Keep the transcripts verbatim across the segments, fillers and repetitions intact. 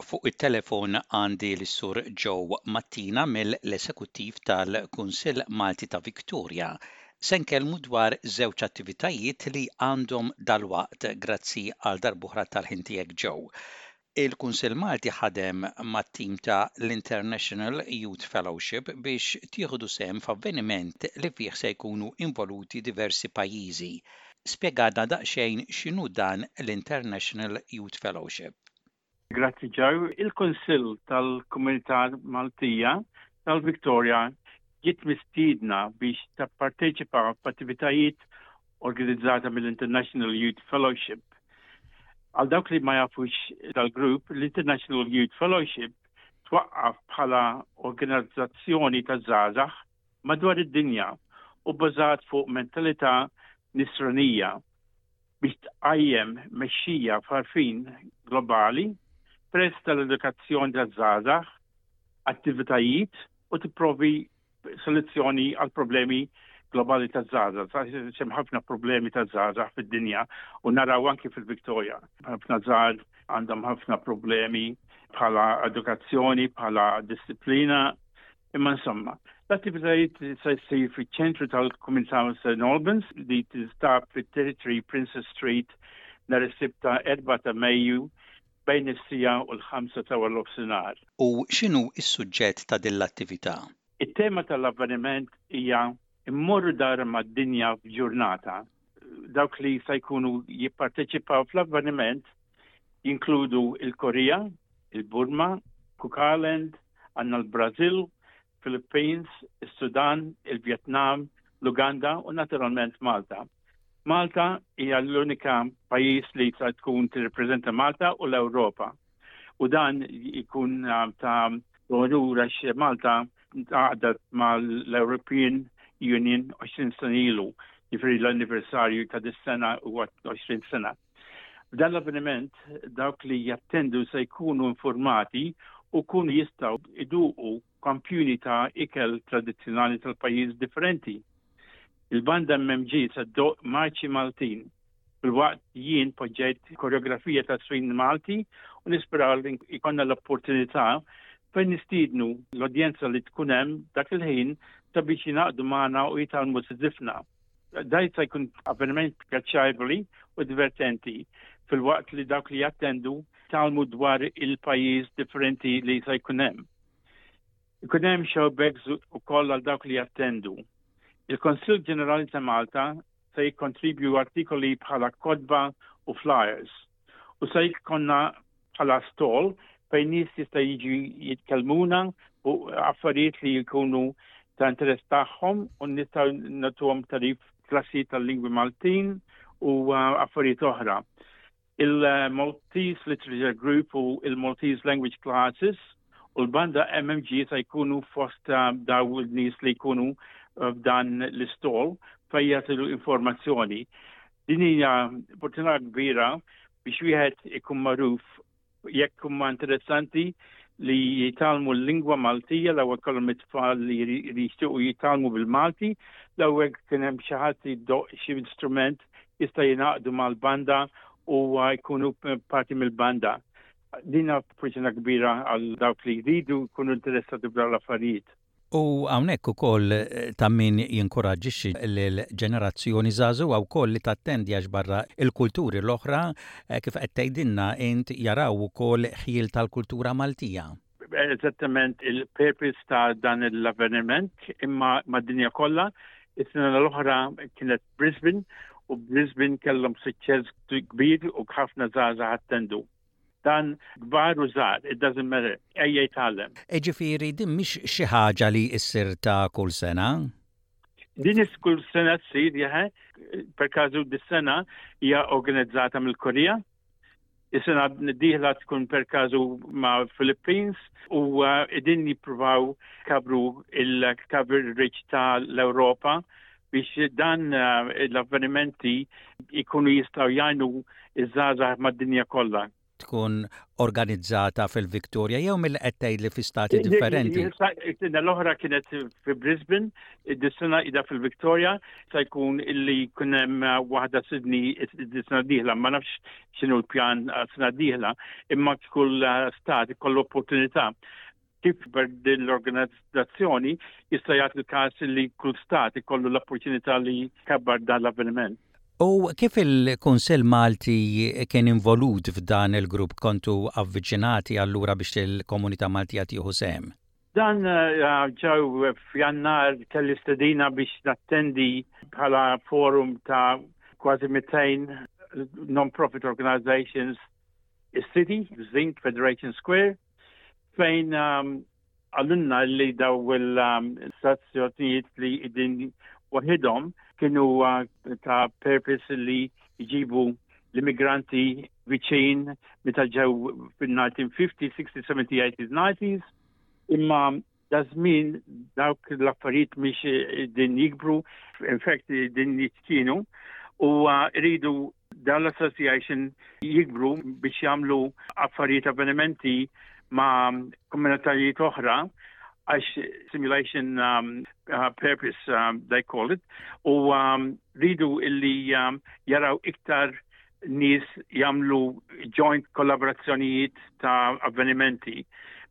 Fuq it-telefon għandi l-Sur Joe Mattina mill-Esekuttiv tal-Kunsill Malti ta' Victoria. Se nkellmu dwar żewġ attivitajiet li għandhom dalwaqt. Grazzi għal darb'oħra tal-ħin tiegħek, Joe. Il-Kunsill Malti ħadem mat-tim ta' l-International Youth Fellowship biex tieħdu sehem f'avveniment li fih se jkunu involuti diversi pajjiżi. Spjegalna daqsxejn x'inhu dan l-International Youth Fellowship. Grazzi, Joe. Il-Kunsill tal-Komunità Maltija tal-Victoria ġiet mistiedna biex tapparteċipa f'attivitajiet organizzata mill-International Youth Fellowship. Għal dawk li ma jafux dal-grupp, l-International Youth Fellowship twaqqaf bħala organizzazzjoni ta' żgħażagħ madwar id-dinja u bbażat fuq mentalità nisranija biex tqajjem mexxija f'għarfien globali permezz tal-edukazzjoni ta' żgħażagħ, attivitajiet u tipprovdi soluzzjoni għal problemi globali ta' żgħażagħ. Hemm ħafna problemi ta' żgħażagħ fid-dinja u naraw anki fil-Victoria. Ħafna żgħar għandhom ħafna problemi bħala edukazzjoni, bħala disciplina, imma insomma, l-attivitajiet se jsir fiċ-ċentru tal-Komunità Saint Albans li tinstab fit-thirty-three Princess Street nhar is-Sibt ta' erbgħa ta' Mejju bejn is-siegħa u l-ħamsa ta' nofsinhar. U x'inhu s-suġġett ta' din l-attività? It-tema tal-avveniment hija "Immorru darba mad-dinja f'ġurnata". Dawk li se jkunu jipparteċipaw fl-avveniment jinkludu il-Korea, il-Burma, Cook Island, għandna l-Brazil, Philippines, il-Sudan, il-Vietnam, l-Uganda u naturalment Malta. Malta hija l-unika pajjiż li se tkun tirrepreżenta Malta u l-Ewropa. U dan jkun ta' onur għax Malta għaqdet mal-European Union għoxrin sena ilu, jiġifieri l-anniversarju ta' dis-sena huwa għoxrin sena. F'dan l-avveniment dawk li jattendu se jkunu informati u kunu jistgħu iduqu kampjuni ta' ikel tradizzjonali tal-pajjiż differenti. Il-banda M M G se ddoqq marċi Maltin. Filwaqt jien poġġejt koreografija ta' żfin Malti u nisperaw li jkollna l-opportunità fejn nistiednu l-udjenza li tkun hemm dak il-ħin sabiex jingħaqdu magħna u jitgħallmu żifna. Dan se jkun avveniment pjaċevoli u divertenti filwaqt li dawk li jattendu jitgħallmu dwar il-pajjiż differenti li se jkun hemm. Ikun hemm showbags ukoll għal dawk li jattendu. Il-Konsil Ġenerali ta' Malta se jikkontribju artikoli bħala kotba u flyers u se jkollna bħala stall fejn nies jista' jiġi jitkellmuna u affarijiet li jkunu ta' interess tagħhom u nistgħu nagħtuhom tagħrif, klassi tal-lingwi Maltin u uh, affarijiet oħra. Il-Maltese Literature Group u il-Maltese Language Classes u l-banda M M G se jkunu fost uh, daw il-nies li jkunu f'dan l-istall fejn jagħtu informazzjoni. Din hija opportunità kbira biex wieħed ikun magħruf jekk huma interessanti li jitgħallmu l-lingwa Maltija, l-ewwel kollhom it-tfal li jixtiequ jitgħallmu bil-Malti, l-ewwel kien hemm xi ħadd jdoqq xi instrument, jista' jingħaqdu mal-banda u jkunu parti mill-banda. Din opportunità kbira għal dawk li jridu jkunu interessati b'dawn l-affarijiet. U hawnhekk ukoll eh, ta' min jinkoraġġixxi l-ġenerazzjoni żagħżugħa wkoll li tattendi, għax barra il-kulturi l-oħra, eh, kif qed tgħidilna int, jaraw ukoll ħjiel tal-kultura Maltija. Eżattament il-purpose ta' dan l-avveniment imma mad-dinja kollha. Is-sena l-oħra kienet Brisbane u Brisbane kellhom suċċess kbir u ħafna żgħażagħ attendu. Dan kbar u żgħar, it doesn't matter, ejja jitgħallem. Ġifieri din mhix xi ħaġa li issir ta' kull sena? Din kull sena tsir, jaħe, per każu dis-sena hija organizzata mill-Korea. Is-sena d-dieħla tkun per każu ma' Philippines u uh, din jippruvaw kabru il-coverage ta' l-Europa biex dan uh, l-avvenimenti ikunu jistgħu jgħinu iż-żgħażagħ mad-dinja kollha. tkun organizzata fil-Victoria jew mill qed tgħidli fi stati differenti? Is-sena l-oħra kienet fi Brisbane, id-sena ida fil-Victoria, se jkun illi jkun hemm waħda Sydney is-sena dieħla, ma nafx x'inhu l-pjan sena dieħla, imma kull stat ikollu opportunità kif din l-organizzazzjoni jista' jagħti il-każ li kull stat ikollu l-opportunità li kabbar dan l-avveniment. U kif il-Kunsill Malti kien involut f'dan il-grupp, kontu avviċinati allura biex il-komunità Maltija tieħu sehem? Dan eh, ġew f'Jannar, kelli stedina biex nattendi bħala forum ta' kważi mitejn non-profit organizations is-City, Zinc Federation Square, fejn um, qalulna li daw il-stazzjonijiet li din waħidhom kienu uh, ta' purpose li jġibu l-immigranti viċin meta ġew fil-nineteen fifty, sixty, seventy, eighties, nineties. Imma da żmien dawk l-affarijiet mhix din jikbru, in fact din jiċkienu u uh, rridu dan l-association jikbru biex jagħmlu affarijiet, avvenimenti ma' komunitajiet oħra, għax simulation um, uh, purpose um, they call it, u um, ridu illi um, jaraw iktar nies jagħmlu joint kollaborazzjonijiet ta' avvenimenti.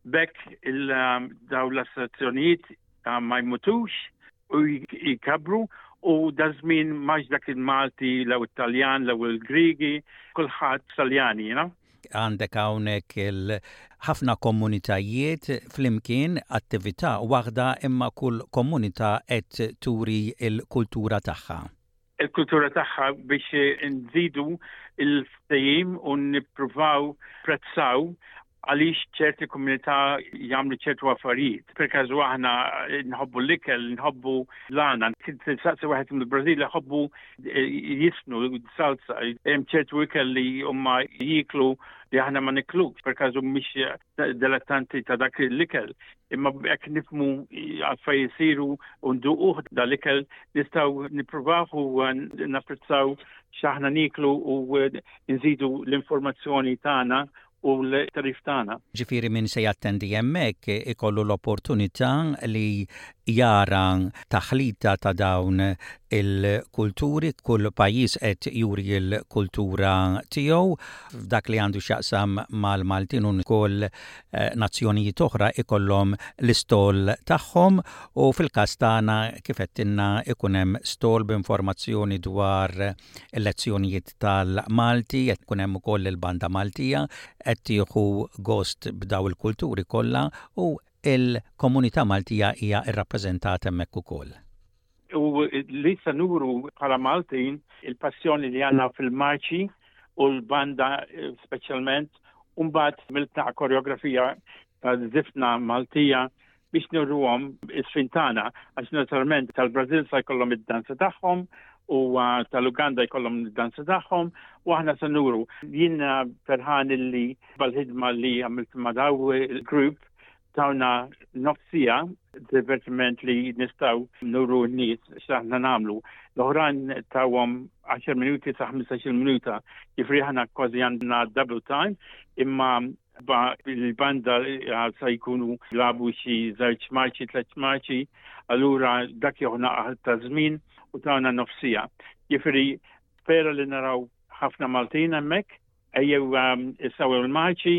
Biex il um, daw l-assoċjazzjonijiet uh, ma jmutux u jikabru, u da żmien mhux dak il-Malti, law Italjan, law il-Grigi, kulħadd Taljani, you know? Għandek hawnhekk il-ħafna komunitajiet flimkien, attività waħda, imma kull komunità qed turi il-kultura tagħha. Il-kultura tagħha biex nżidu il-ftehim u nippruvaw prezzaw għaliex ċerti komunità jagħmlu ċertu affarijiet. Per każu aħna nħobbu l-ikel, nħobbu l-għana. Saqsi wieħed mill-Brażil, jħobbu eh, jiżfnu salsa. Hemm ċertu ikel li huma jiklu li aħna ma niklux, per każu mhix dilettanti ta' dak l-ikel. Imma jekk nifhmu għalfejn jisiru u nduquh dal-ikel, nistgħu nippruvaw u napprezzaw x'aħna niklu u nżidu l-informazzjoni tagħna u l-tarif tagħna. Ġifieri min se jattendi hemmhekk ikollu l-opportunità li jara taħlita ta' dawn il-kulturi, kull pajjiż qed juri l-kultura tiegħu. F'dak li għandu x'jaqsam mal-Maltin u ukoll eh, nazzjonijiet oħra ikollhom l-istall tagħhom, u fil-każ tagħna, kif għedtilna, ikun hemm stall b'informazzjoni dwar il-lezzjonijiet tal-Malti, qed ikun hemm ukoll il-banda Maltija qed tieħu gost b'daw il-kulturi kollha u il-komunità Maltija hija rrappreżentata hemmhekk ukoll. U li se nuru bħala Maltin il-passjoni li għandna fil-marċi u l-banda eh, speċjalment, u mbagħad għamilna koreografija ta' żifna Maltija biex nuruhom is-żfin tagħna, għax naturalment tal-Brazil sa jkollhom id-danza tagħhom u uh, tal-Uganda jkollhom id-danza tagħhom u aħna se nuru. Jien ferħan illi bal-ħidma li għamilt ma' daw il-group tawna nofs siegħa divertiment li nistgħu nuru n-nies x'aħna nagħmlu. L-oħrajn tawhom għaxar minuti sa ħmistax-il minuta, jiġifieri aħna kważi għandna double time, imma il-banda sa jkunu lagħbu xi żewġ marċi, tliet marċi, allura dak joħna ta' żmien u tawna nofs siegħa. Jiġifieri spera li naraw ħafna Maltin hemmhekk, ejjew um, issew il-marċi,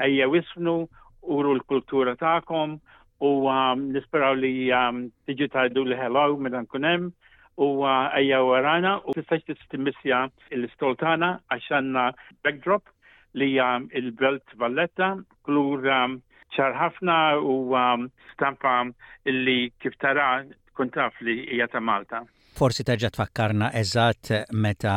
ejjew iżfnu, uru l-kultura tagħkom u um, nisperaw li um, tiġu tgħidu li hello meta nkun hemm u uh, ejjew warana u tistax timmissja l-istall tagħna għax għandna backdrop li um, il-Belt Valletta, kulur um, ċar ħafna u um, stampa illi kif tara tkun taf li hija ta' Malta. Forsi terġa' tfakkarna eżatt meta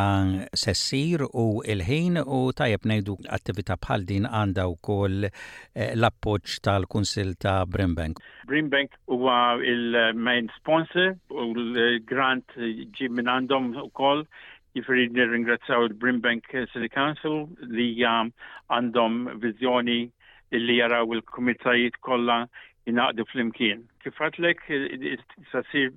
se ssir u il-ħin, u tajjeb ngħidu attività bħal din għandha wkoll eh, l-appoġġ tal-Kunsill ta' Brimbank. Brimbank huwa il-main sponsor u l-grant ġi minn għandhom ukoll. Jiġifieri nirringrazzjaw il-Brimbank City Council li um, għandhom viżjoni li jaraw il-komunitajiet kollha jingħaqdu flimkien. Kif għedtlek, sa ssir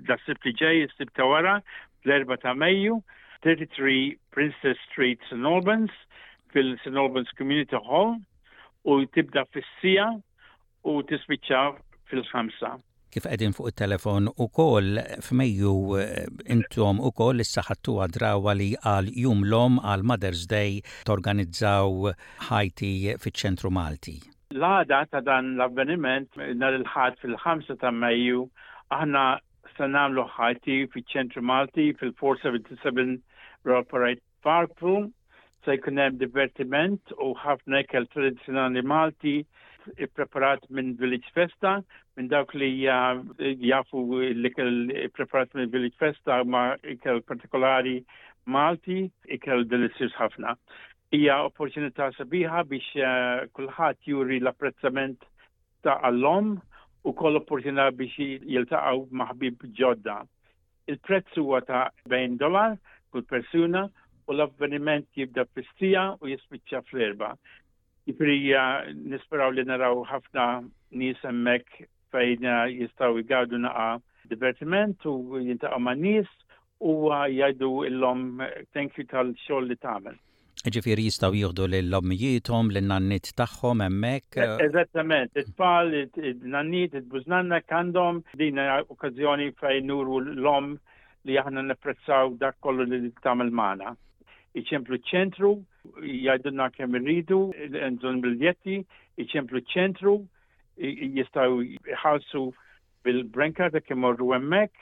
da Sibt li ġej, is-Sibt ta' wara, fl-erbgħa ta' Mejju, thirty-three Princess Street, Saint Albans, fil-St Albans Community Hall u tibda fis-siegħa u tispiċċa fil-ħamsa. Kif qegħdin fuq it-telefon ukoll, f'Mejju eh, intom ukoll issa ħadtuha drawwa li għal Jum l-Omm, għal Mother's Day, torganizzaw high tea fiċ-ċentru Malti. L-għada ta' dan l-avveniment, nhar il-Ħadd fil-ħamsa ta' Mejju, aħna se nagħmlu high tea fiċ-ċentru Malti fil-four seventy-seven Royal Parade Park Room. Se jkun hemm divertiment u ħafna ikel tradizzjonali Malti ippreparat minn Village Festa, minn dawk li jafu l-ikel ippreparat minn Village Festa ma ikel partikolari Malti, ikel delizzjuż ħafna. Hija opportunità sabiħa biex eh, kulħadd juri l-apprezzament ta' għall-omm u koll opportunità biex jiltaqgħu ma' ħbieb ġodda. Il-prezz huwa ta' erbgħin dollar kull persuna u l-avveniment jibda fis-siegħa u jispiċċa fl-erbgħa. Jiġifieri nisperaw li naraw ħafna nies hemmhekk fejn jistgħu jgawdu naqa divertiment u jiltaqgħu ma' nies u jgħidu lill-omm thank you tal-xogħol li tagħmel. Ġifieri jistgħu jieħdu lil-ommijiethom, lin-nanniet tagħhom hemmhekk. Eżattament, it-tfal, it-nanniet, it-bużnanna għandhom din okkażjoni fejn nuru l-omm li aħna napprezzaw dak kollu li tagħmel magħna. Iċemplu ċentru, jgħidulna kemm irridu, bżonn biljetti, iċemplu ċentru, jistgħu jħallsu bil-BrainCard jekk imorru hemmhekk,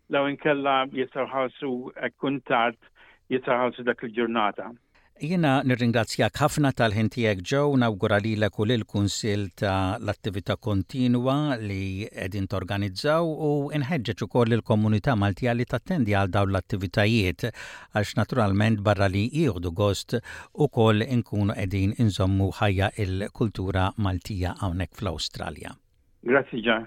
jew inkella jistgħu jħallsu kontant, jistgħu jħallsu dak il-ġurnata. Jiena nirringrazzjak ħafna tal-ħin tiegħek, Joe, nawgura lilek u lill-Kunsill ta' l-attività kontinwa li qegħdin torganizzaw u nħeġġeġ ukoll il-komunità Maltija li tattendi għal dawn l-attivitajiet, għax naturalment barra li jieħdu gost ukoll inkunu qegħdin inżommu ħajja il-kultura Maltija hawnhekk fl-Awstralja. Grazzi ġa.